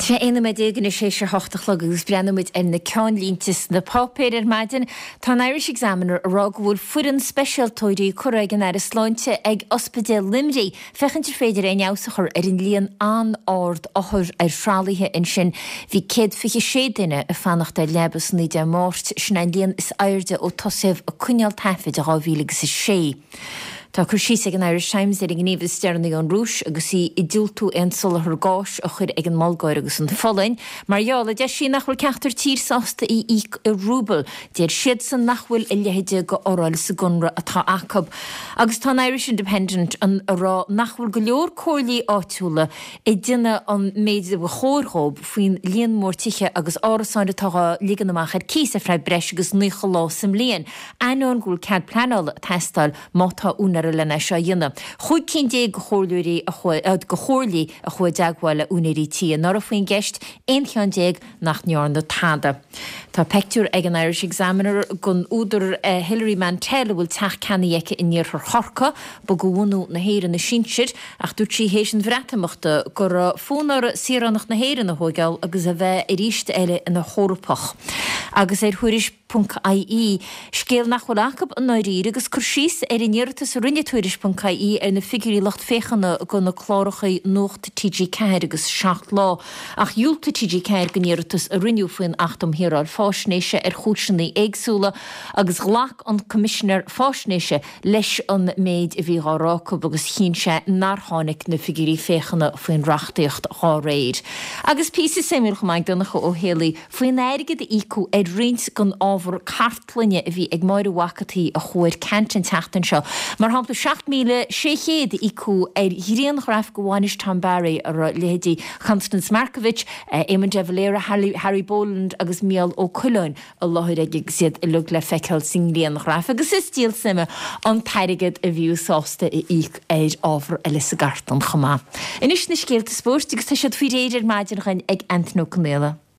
Sé 11 nóiméad anois théis a hocht a chlog agus breathnóidh muid ar na ceannlínte sna páipéir ar maidin. Tá an Irish Examiner ag rá go bhfuil foireann speisialtóirí curtha ag an Aire Sláinte ag Ospidéal Luimnigh féachaint ar féidir aon fheabhas a chur ar an líon an-ard othar ar thralaithe ansin. Bhí 126 duine ag fanacht ar leaba san oíche Dé Máirt, sin é an líon is airde ó tosaíodh ag coinneáil taifid i 2006. Tá cur síos ag an Irish Times ar an ngníomh is deireanaí ón Rúis agus í ag diúltú aon soláthar gáis a chur ag an mBulgáir agus an Pholainn mar gheall, a deir sí, nach bhfuil ceachtar tír sásta í íoc i rúbal. Deir siadsan nach bhfuil a leithéid de fhoráil sa gconradh atá acu. Agus tá an Irish Independent ag rá nach bhfuil go leor comhairlí áitiúla ag déanamh an méid a ba chóir dhóibh faoin líon mór tithe agus árasáin atá dhá ligean amach ar cíos ar feadh breis agus 90 lá sa mbliain. Ainneoin go bhfuil cead pleanála ag teastáil má tá úinéir len é seo a dhéanamh. Chúig cinn de chomhairleoirí a chuaigh, de chomhairlí a chuaigh i dteagmháil le úinéirí tí anuraidh faoin gceist, aon cheann nach ndearna tada. Tá peictiúr ag an Irish Examiner den údar Hilary Mantel a bhfuil teach ceannaithe aici in iarthar Chorcaí. Ba de bhunadh na hÉireann a sinsir ach dúirt sí théis an Bhreatimeachta go raibh fonn uirthi saoránacht na hÉireann a thóigeáil agus a bheith arís eile ina hEorpach. Agus ar Thuairisc. Ponc IE, scéal nach bhfuil acu i ndáiríre agus cur síos ar an iarratas a rinne Tuairisc Ponc IE ar na figiúirí lucht féachana do na cláracha Nuacht TG4 agus 7 Lá ach dhiúltaigh TG4 don iarratas a rinneadh faoin Acht um Shaoráil Faisnéise ar chúiseanna éagsúla agus ghlac an Coimisinéir Faisnéise leis an méid a bhí dhá rá acu agus chinn sé nár tháinig na figiúirí féachana faoin reachtaíocht dhá réir. Agus píosa suimiúil chomh maith ag Donncha Ó Héalaí faoin airgead a íocadh ar roinnt den ábhar cartlainne a bhí ag Máire Mhac an tSaoi a chuaigh ar ceant an tseachtain seo. Mar shampla, 7,600 a íocadh ar ghrianghraf de bhainis Tom Barry a raibh leithéidí Constance Markievicz, Éamon de Valera, Harry Boland agus Mícheál Ó Coileáin i láthair aige agus iad uilig le feiceáil sa ngrianghraf agus is díol suime an t-airgead a bhíodh sásta a íoc ar ábhar eile sa gcartlann chomh maith. Anois na scéalta spóirt agus tá siad faoi réir ar maidin againn ag Antain Ó Conaola.